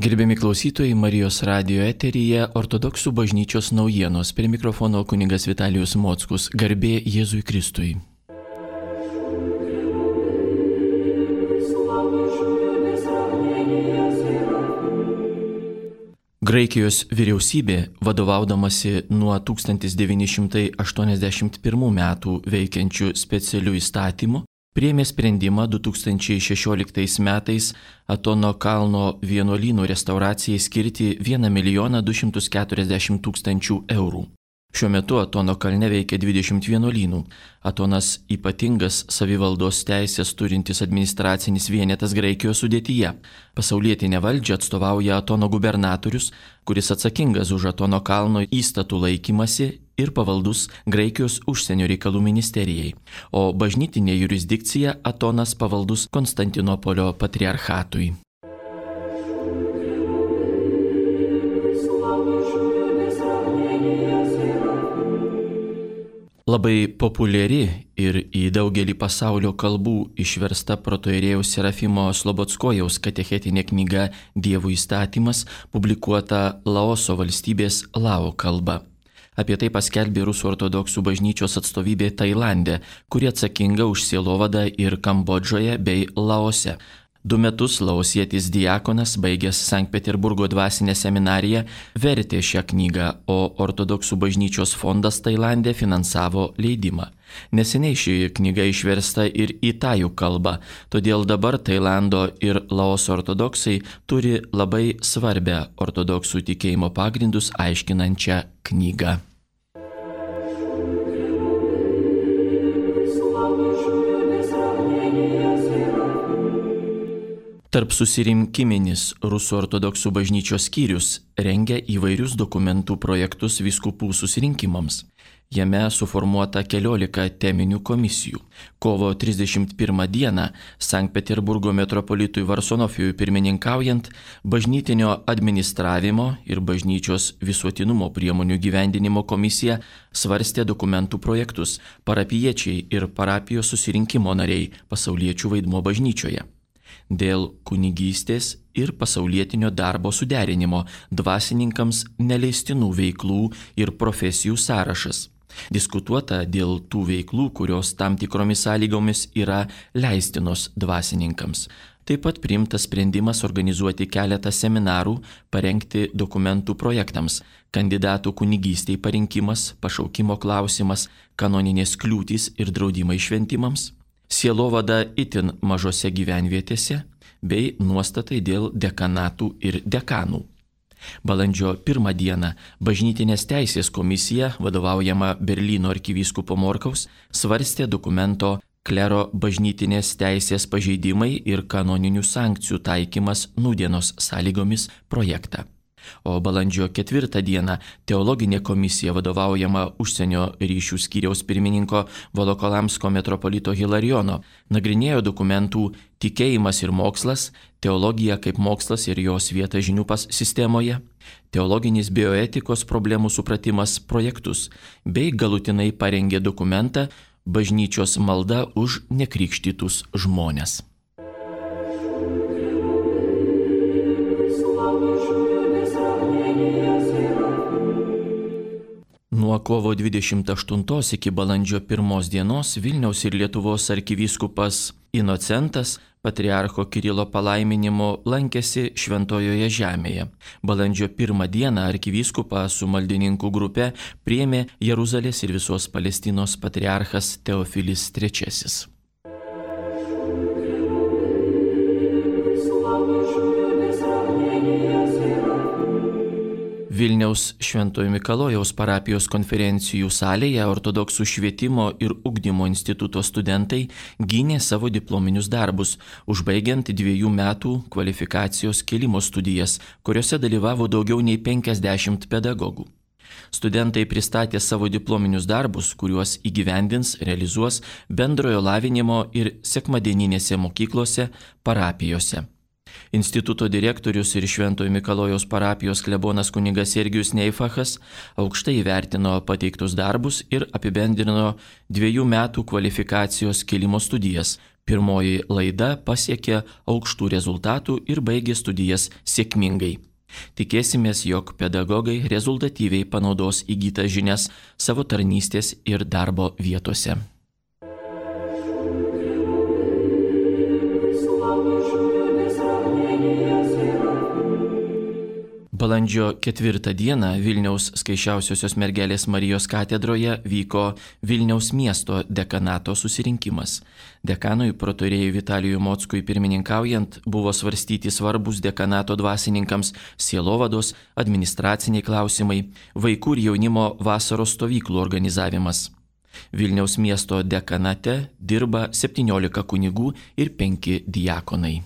Gerbiami klausytojai, Marijos radijo eteryje ortodoksų bažnyčios naujienos. Prie mikrofono kunigas Vitalijus Mockus. Garbė Jėzui Kristui. Graikijos vyriausybė, vadovaudamasi nuo 1981 metų veikiančių specialių įstatymų, priėmė sprendimą 2016 metais Atono kalno vienuolynų restauracijai skirti 1 240 000 eurų. Šiuo metu Atono kalne veikia 20 vienuolynų. Atonas ypatingas savivaldos teisės turintis administracinis vienetas Graikijos sudėtyje. Pasaulietinę valdžią atstovauja Atono gubernatorius, kuris atsakingas už Atono kalno įstatų laikymasi ir pavaldus Graikijos užsienio reikalų ministerijai, o bažnytinė jurisdikcija Atonas pavaldus Konstantinopolio patriarchatui. Labai populiari ir į daugelį pasaulio kalbų išversta protoierėjaus Serafimo Slobodskojaus katechetinė knyga Dievo įstatymas, publikuota Laoso valstybės lao kalba. Apie tai paskelbė Rusų ortodoksų bažnyčios atstovybė Tailande, kuri atsakinga už sielovadą ir Kambodžoje bei Laose. 2 metus laosietis diakonas, baigęs Sankt Peterburgo dvasinę seminariją, vertė šią knygą, o ortodoksų bažnyčios fondas Tailande finansavo leidimą. Neseniai ši knyga išversta ir į tajų kalbą, todėl dabar Tailando ir Laoso ortodoksai turi labai svarbią ortodoksų tikėjimo pagrindus aiškinančią knygą. Tarp susirinkiminis Rusų ortodoksų bažnyčios skyrius rengia įvairius dokumentų projektus vyskupų susirinkimams. Jame suformuota 14 teminių komisijų. Kovo 31 dieną Sankt Peterburgo metropolitui Varsonofijui pirmininkaujant, bažnytinio administravimo ir bažnyčios visuotinumo priemonių gyvendinimo komisija svarstė dokumentų projektus, parapijiečiai ir parapijos susirinkimo nariai, pasauliečių vaidmuo bažnyčioje. Dėl kunigystės ir pasaulietinio darbo suderinimo dvasininkams neleistinų veiklų ir profesijų sąrašas. Diskutuota dėl tų veiklų, kurios tam tikromis sąlygomis yra leistinos dvasininkams. Taip pat priimtas sprendimas organizuoti keletą seminarų, parengti dokumentų projektams, kandidatų kunigystei parinkimas, pašaukimo klausimas, kanoninės kliūtys ir draudimai šventimams, sielovada itin mažose gyvenvietėse bei nuostatai dėl dekanatų ir dekanų. Balandžio 1 dieną bažnytinės teisės komisija, vadovaujama Berlyno arkivyskupo Morkaus, svarstė dokumento klero bažnytinės teisės pažeidimai ir kanoninių sankcijų taikymas nūdienos sąlygomis projektą. O balandžio 4 dieną teologinė komisija, vadovaujama užsienio ryšių skyriaus pirmininko Volokolamsko metropolito Hilarijono, nagrinėjo dokumentų Tikėjimas ir mokslas, teologija kaip mokslas ir jos vieta žinių sistemoje, teologinis bioetikos problemų supratimas projektus, bei galutinai parengė dokumentą Bažnyčios malda už nekrikštytus žmones. Nuo kovo 28 iki balandžio 1 dienos Vilniaus ir Lietuvos arkivyskupas Inocentas patriarcho Kirilo palaiminimu lankėsi Šventojoje žemėje. Balandžio 1 dieną arkivyskupą su maldininkų grupe priėmė Jeruzalės ir visos Palestinos patriarchas Teofilis III. Vilniaus Šventojo Mikalojaus parapijos konferencijų salėje ortodoksų švietimo ir ugdymo instituto studentai gynė savo diplominius darbus, užbaigiant 2 metų kvalifikacijos kėlimo studijas, kuriuose dalyvavo daugiau nei 50 pedagogų. Studentai pristatė savo diplominius darbus, kuriuos įgyvendins, realizuos bendrojo lavinimo ir sekmadieninėse mokyklose, parapijose. Instituto direktorius ir Šventojo Mikalojaus parapijos klebonas kunigas Sergijus Neifachas aukštai įvertino pateiktus darbus ir apibendrino 2 metų kvalifikacijos kėlimo studijas, Pirmoji laida pasiekė aukštų rezultatų ir baigė studijas sėkmingai. Tikėsimės, jog pedagogai rezultatyviai panaudos įgytas žinias savo tarnystės ir darbo vietose. Balandžio 4 dieną Vilniaus Skaisčiausiosios mergelės Marijos katedroje vyko Vilniaus miesto dekanato susirinkimas. Dekanui protorėjui Vitalijui Mockui pirmininkaujant buvo svarstyti svarbus dekanato dvasininkams sielovados, administraciniai klausimai, vaikų ir jaunimo vasaros stovyklų organizavimas. Vilniaus miesto dekanate dirba 17 kunigų ir 5 diakonai.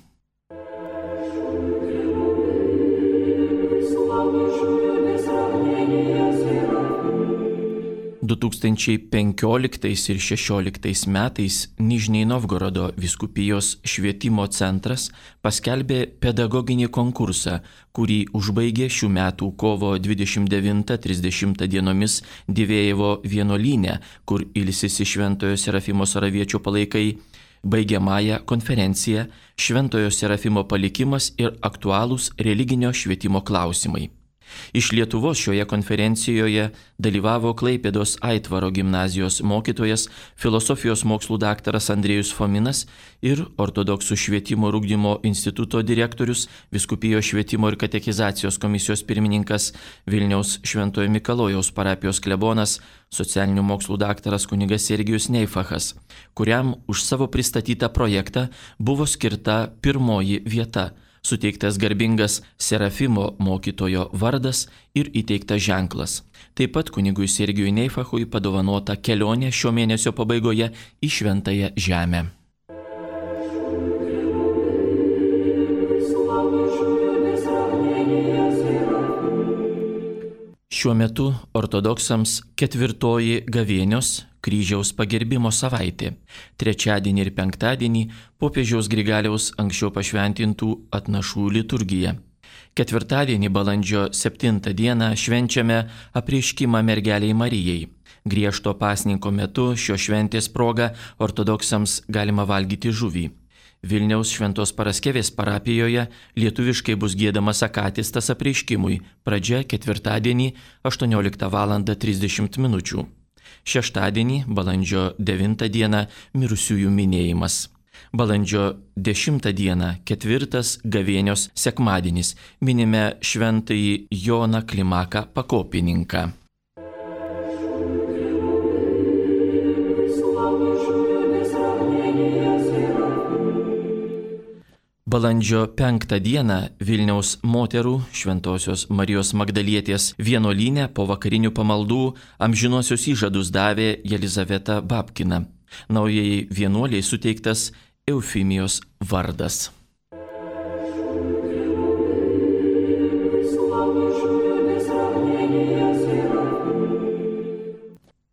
2015 ir 2016 metais Nižnij Novgorodo vyskupijos švietimo centras paskelbė pedagoginį konkursą, kurį užbaigė šių metų kovo 29-30 dienomis Divėjevo vienuolyne, kur ilsisi Šventojo Serafimo Saraviečio palaikai, baigiamąją konferenciją Šventojo Serafimo palikimas ir aktualūs religinio švietimo klausimai. Iš Lietuvos šioje konferencijoje dalyvavo Klaipėdos Aitvaro gimnazijos mokytojas, filosofijos mokslų daktaras Andrėjus Fominas ir ortodoksų švietimo ir ugdymo instituto direktorius, vyskupijos švietimo ir katekizacijos komisijos pirmininkas, Vilniaus Šventojo Mikalojaus parapijos klebonas, socialinių mokslų daktaras kunigas Sergijus Neifachas, kuriam už savo pristatytą projektą buvo skirta pirmoji vieta, suteiktas garbingas Serafimo mokytojo vardas ir įteiktas ženklas. Taip pat kunigui Sergijui Neifachui padovanota kelionė šio mėnesio pabaigoje į Šventąją Žemę. Šiuo metu ortodoksams 4. gavėnios kryžiaus pagerbimo savaitė. Trečiadienį ir penktadienį popiežiaus Grigaliaus anksčiau pašventintų atnašų liturgija. Ketvirtadienį balandžio 7 dieną švenčiame apreiškimą mergelei Marijai. Griežto pasninko metu šios šventės proga ortodoksams galima valgyti žuvį. Vilniaus Šventos Paraskevės parapijoje lietuviškai bus giedamas akatistas apreiškimui, pradžia ketvirtadienį 18:30 min. Šeštadienį, balandžio 9 dieną, mirusiųjų minėjimas. Balandžio 10 dieną, 4. gavėnios sekmadienis, minime šventąjį Joną Klimaką Pakopininką. Balandžio 5 dieną Vilniaus moterų Šventosios Marijos Magdalietės vienuolyne po vakarinių pamaldų amžinosios įžadus davė Jelizaveta Babkina. Naujai vienuoliai suteiktas Eufimijos vardas.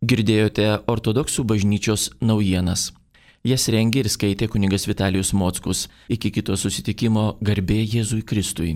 Girdėjote ortodoksų bažnyčios naujienas. Jas rengė ir skaitė kunigas Vitalijus Mockus. Iki kito susitikimo, garbė Jėzui Kristui.